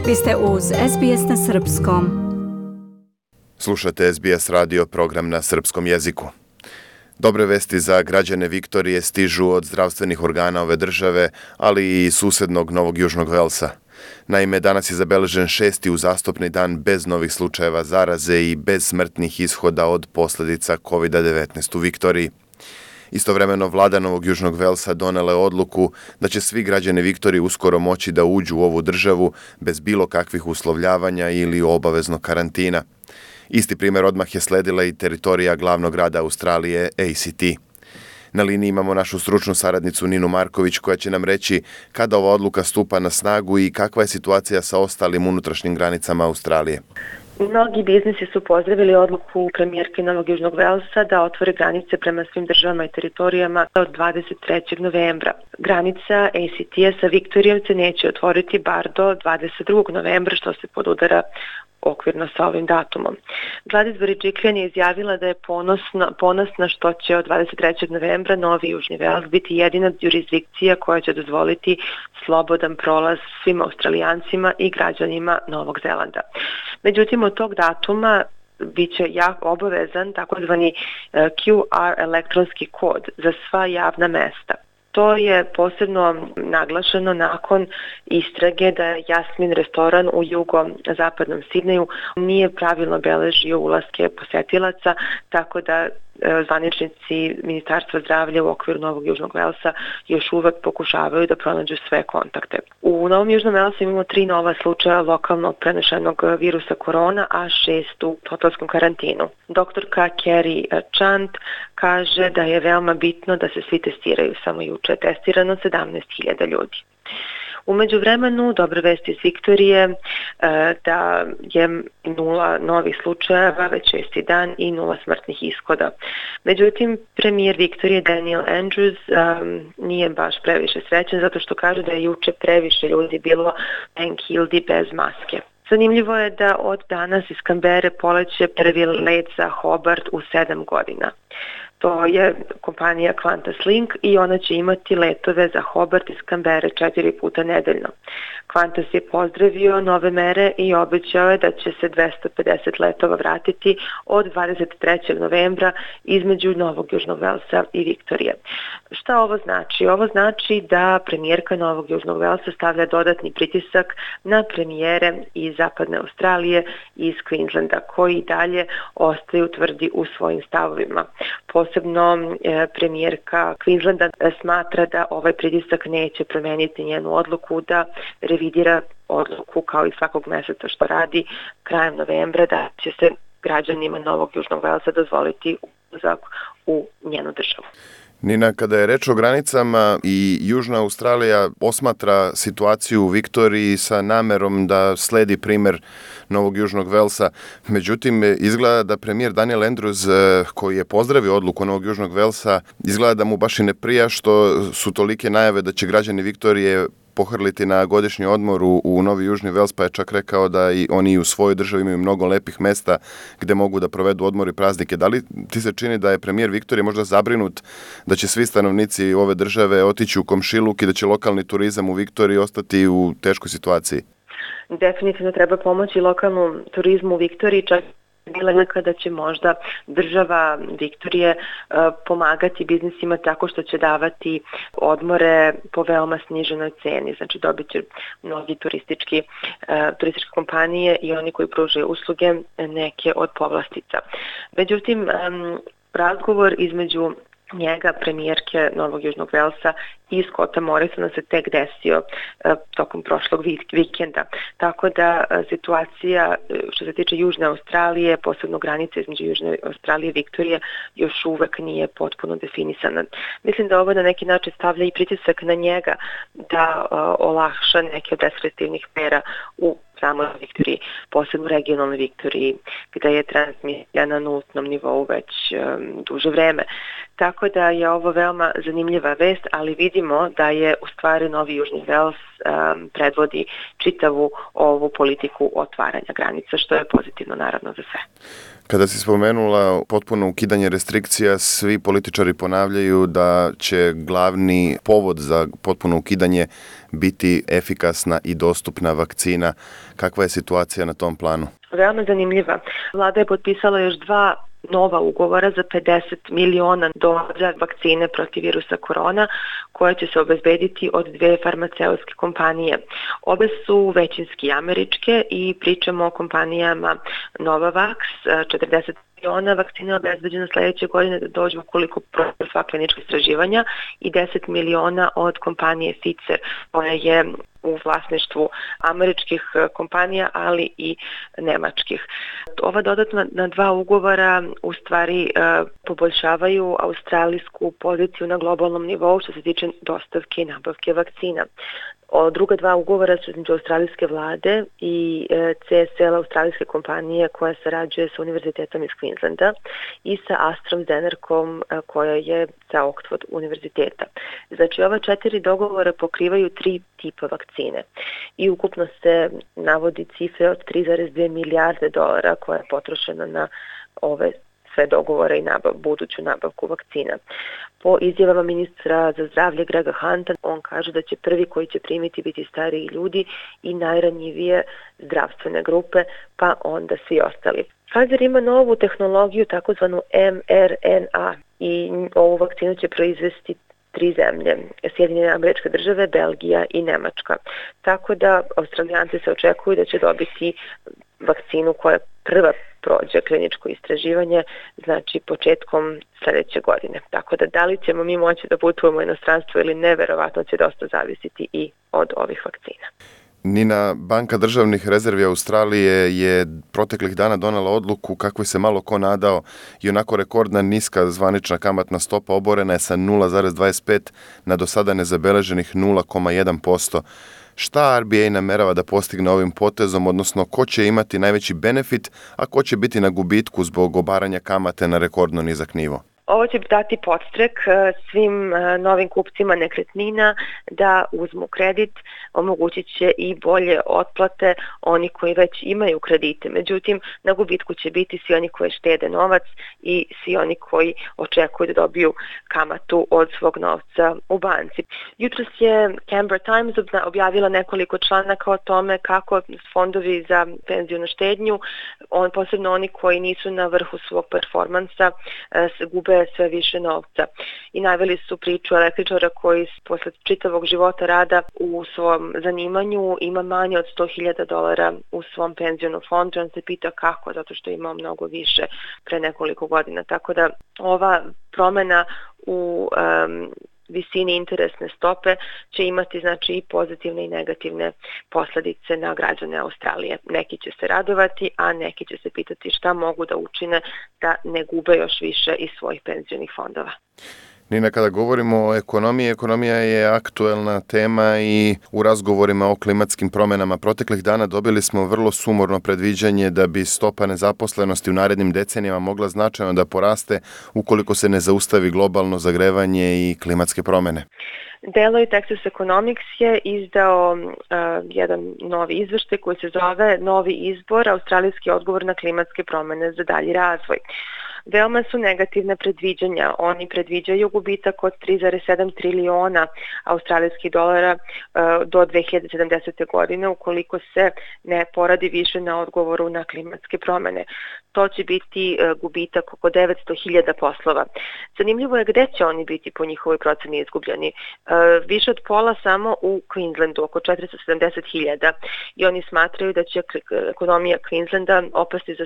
Vi ste uz SBS na Srpskom. Slušate SBS radio, program na srpskom jeziku. Dobre vesti za građane Viktorije stižu od zdravstvenih organa ove države, ali i susednog Novog Južnog Velsa. Naime, danas je zabeležen 6. uzastopni dan bez novih slučajeva zaraze i bez smrtnih ishoda od posljedica COVID-19 u Viktoriji. Istovremeno, vlada Novog Južnog Velsa donela je odluku da će svi građani Viktorije uskoro moći da uđu u ovu državu bez bilo kakvih uslovljavanja ili obaveznog karantina. Isti primjer odmah je sledila i teritorija glavnog grada Australije, ACT. Na liniji imamo našu stručnu saradnicu Ninu Marković koja će nam reći kada ova odluka stupa na snagu i kakva je situacija sa ostalim unutrašnjim granicama Australije. Mnogi biznisi su pozdravili odluku premijerke Novog Južnog Velsa da otvore granice prema svim državama i teritorijama od 23. novembra. Granica ACT-a sa Viktorijom se neće otvoriti bar do 22. novembra, što se podudara okvirno sa ovim datumom. Gladys Berejiklian je izjavila da je ponosna što će od 23. novembra Novi Južni Vels biti jedina jurisdikcija koja će dozvoliti slobodan prolaz svim Australijancima i građanima Novog Zelanda. Međutim, od tog datuma biće obavezan takozvani QR elektronski kod za sva javna mesta. To je posebno naglašeno nakon istrage da Jasmin restoran u jugozapadnom Sidneju nije pravilno beležio ulaske posetilaca, tako da zvaničnici Ministarstva zdravlja u okviru Novog Južnog Velsa još uvek pokušavaju da pronađu sve kontakte. U Novom Južnom Velsu imamo 3 nova slučaja lokalno prenešenog virusa korona, a 6 u hotelskom karantinu. Doktorka Kerry Chant kaže da je veoma bitno da se svi testiraju. Samo juče je testirano 17.000 ljudi. U međuvremenu, dobre vesti iz Viktorije da je 0 novih slučajeva, već 6. dan i 0 smrtnih ishoda. Međutim, premijer Viktorije Daniel Andrews nije baš previše srećan zato što kaže da je juče previše ljudi bilo enkildi bez maske. Zanimljivo je da od danas iz Canberre poleće prvi let za Hobart u 7 godina. To je kompanija Qantas Link i ona će imati letove za Hobart iz Canberre 4 puta nedeljno. Qantas je pozdravio nove mere i obećao je da će se 250 letova vratiti od 23. novembra između Novog Južnog Velsa i Viktorije. Šta ovo znači? Ovo znači da premijerka Novog Južnog Velsa stavlja dodatni pritisak na premijere iz Zapadne Australije i iz Queenslanda, koji dalje ostaju tvrdi u svojim stavovima. Posebno premijerka Queenslanda smatra da ovaj pritisak neće promeniti njenu odluku da revidira odluku kao i svakog meseca što radi krajem novembra da će se građanima Novog Južnog Velsa dozvoliti ulazak u njenu državu. Nina, kada je reč o granicama i Južna Australija posmatra situaciju u Viktoriji sa namerom da sledi primjer Novog Južnog Velsa. Međutim, izgleda da premijer Daniel Andrews, koji je pozdravio odluku Novog Južnog Velsa, izgleda da mu baš i ne prija što su tolike najave da će građani Viktorije pohrliti na godišnji odmor u Novi Južni Vels, pa je čak rekao da i oni u svojoj državi imaju mnogo lepih mesta gde mogu da provedu odmor i praznike. Da li ti se čini da je premijer Viktorije možda zabrinut da će svi stanovnici ove države otići u komšiluk i da će lokalni turizam u Viktoriji ostati u teškoj situaciji? Definitivno treba pomoći lokalnom turizmu u Viktoriji, čak bila kada će možda država Viktorije pomagati biznisima tako što će davati odmore po veoma sniženoj ceni. Znači dobit će mnogi turističke kompanije i oni koji pružaju usluge neke od povlastica. Međutim, razgovor između njega, premijerke Novog Južnog Velsa i Scotta Morrisona se tek desio tokom prošlog vikenda. Tako da situacija što se tiče Južne Australije, posebno granice između Južne Australije i Viktorije, još uvek nije potpuno definisana. Mislim da ovo na neki način stavlja i pritisak na njega da olakša neke od restriktivnih mera u samoj Viktoriji, posebno regionalnoj Viktoriji, gde je transmisija na nultnom nivou već duže vreme. Tako da je ovo veoma zanimljiva vest, ali vidimo da je u stvari Novi Južni Vels predvodi čitavu ovu politiku otvaranja granica, što je pozitivno naravno za sve. Kada si spomenula potpuno ukidanje restrikcija, svi političari ponavljaju da će glavni povod za potpuno ukidanje biti efikasna i dostupna vakcina. Kakva je situacija na tom planu? Veoma zanimljiva. Vlada je potpisala još 2 nova ugovora za 50 miliona doza vakcine protiv virusa korona, koje će se obezbediti od 2 farmaceutske kompanije. Obe su većinski američke i pričamo o kompanijama Novavax, 40 miliona vakcina obezbeđena sledeće godine da dođu ukoliko prođu sva klinička istraživanja i 10 miliona od kompanije Pfizer, koja je u vlasništvu američkih kompanija, ali i nemačkih. Ova dodatna 2 ugovora u stvari poboljšavaju australijsku poziciju na globalnom nivou što se tiče dostavke i nabavke vakcina. Druga 2 ugovora su između australijske vlade i CSL australijske kompanije koja sarađuje sa univerzitetom iz Queenslanda i sa AstraZenecom koja je sa Oxford univerziteta. Znači ova 4 dogovora pokrivaju 3 tipa vakcine i ukupno se navodi cifre od 3,2 milijarde dolara koja je potrošena na ove sve dogovore i buduću nabavku vakcina. Po izjavama ministra za zdravlje Grega Hunta, on kaže da će prvi koji će primiti biti stariji ljudi i najranjivije zdravstvene grupe, pa onda svi ostali. Pfizer ima novu tehnologiju, takozvanu mRNA, i ovu vakcinu će proizvesti 3 zemlje, Sjedinjene Američke Države, Belgija i Nemačka. Tako da Australijanci se očekuju da će dobiti vakcinu koja prva prođe kliničko istraživanje, znači početkom sledeće godine. Tako da li ćemo mi moći da putujemo u inostranstvo ili ne, verovatno će dosta zavisiti i od ovih vakcina. Nina, Banka državnih rezervi Australije je proteklih dana donela odluku kakvoj se malo ko nadao i onako rekordna niska zvanična kamatna stopa oborena je sa 0,25 na do sada nezabeleženih 0,1%. Šta RBA namerava da postigne ovim potezom, odnosno ko će imati najveći benefit, a ko će biti na gubitku zbog obaranja kamate na rekordno nizak nivo? Ovo će dati podstrek svim novim kupcima nekretnina da uzmu kredit, omogućit će i bolje otplate oni koji već imaju kredite. Međutim, na gubitku će biti svi oni koji štede novac i svi oni koji očekuju da dobiju kamatu od svog novca u banci. Jutros je Canberra Times objavila nekoliko članaka o tome kako fondovi za penziju na štednju, posebno oni koji nisu na vrhu svog performansa, se gube sve više novca. I naveli su priču električara koji posle čitavog života rada u svom zanimanju ima manje od $100,000 u svom penzionom fondu. On se pita kako, zato što je imao mnogo više pre nekoliko godina. Tako da ova promena u visini interesne stope će imati znači i pozitivne i negativne posledice na građane Australije. Neki će se radovati, a neki će se pitati šta mogu da učine da ne gube još više iz svojih penzionih fondova. Nina, kada govorimo o ekonomiji, ekonomija je aktuelna tema i u razgovorima o klimatskim promjenama proteklih dana dobili smo vrlo sumorno predviđanje da bi stopa nezaposlenosti u narednim decenijama mogla značajno da poraste ukoliko se ne zaustavi globalno zagrevanje i klimatske promjene. Deloitte Access Economics je izdao jedan novi izveštaj koji se zove Novi izbor, australijski odgovor na klimatske promjene za dalji razvoj. Veoma su negativne predviđanja. Oni predviđaju gubitak od 3,7 triliona australijskih dolara do 2070. godine ukoliko se ne poradi više na odgovoru na klimatske promjene. To će biti gubitak oko 900.000 poslova. Zanimljivo je gde će oni biti po njihovoj proceni izgubljeni. Više od pola samo u Queenslandu, oko 470.000, i oni smatraju da će ekonomija Queenslanda opasti za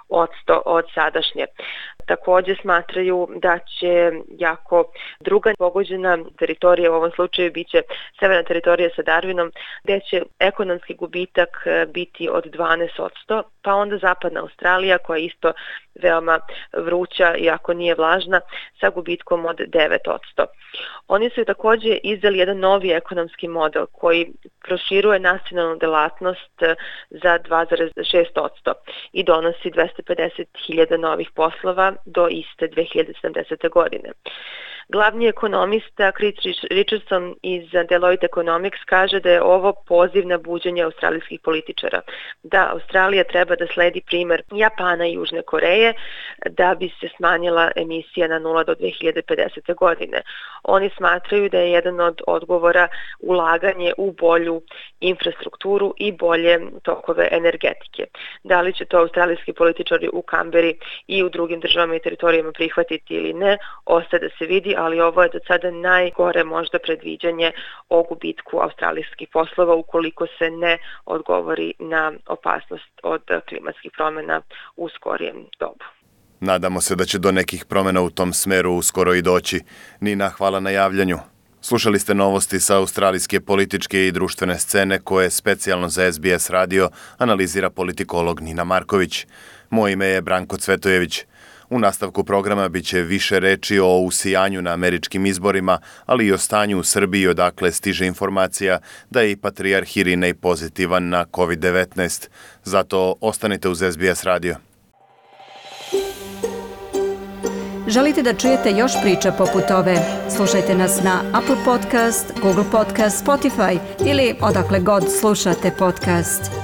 7% od sadašnje. Također smatraju da će jako druga pogođena teritorija, u ovom slučaju biće severna teritorija sa Darwinom, gde će ekonomski gubitak biti od 12%, pa onda zapadna Australija koja je isto veoma vruća, iako nije vlažna, sa gubitkom od 9%. Oni su također izdali jedan novi ekonomski model koji proširuje nacionalnu delatnost za 2,6% i donosi 250.000 novih poslova poslova do iste 2070. godine. Glavni ekonomista Chris Richardson iz Deloitte Economics kaže da je ovo poziv na buđenje australijskih političara. Da Australija treba da sledi primer Japana i Južne Koreje da bi se smanjila emisija na 0 do 2050. godine. Oni smatraju da je jedan od odgovora ulaganje u bolju infrastrukturu i bolje tokove energetike. Da li će to australijski političari u Kamberi i u drugim državama i teritorijama prihvatiti ili ne, ostaje da se vidi, ali ovo je do sada najgore možda predviđanje o gubitku australijskih poslova ukoliko se ne odgovori na opasnost od klimatskih promjena u skorijem dobu. Nadamo se da će do nekih promjena u tom smeru uskoro i doći. Nina, hvala na javljanju. Slušali ste novosti sa australijske političke i društvene scene koje specijalno za SBS radio analizira politikolog Nina Marković. Moje ime je Branko Cvetojević. U nastavku programa bit će više reči o usijanju na američkim izborima, ali i o stanju u Srbiji odakle stiže informacija da je i patrijarh Irinej pozitivan na COVID-19. Zato ostanite uz SBS radio. Želite da čujete još priča poput ove? Slušajte nas na Apple Podcast, Google Podcast, Spotify ili odakle god slušate podcast.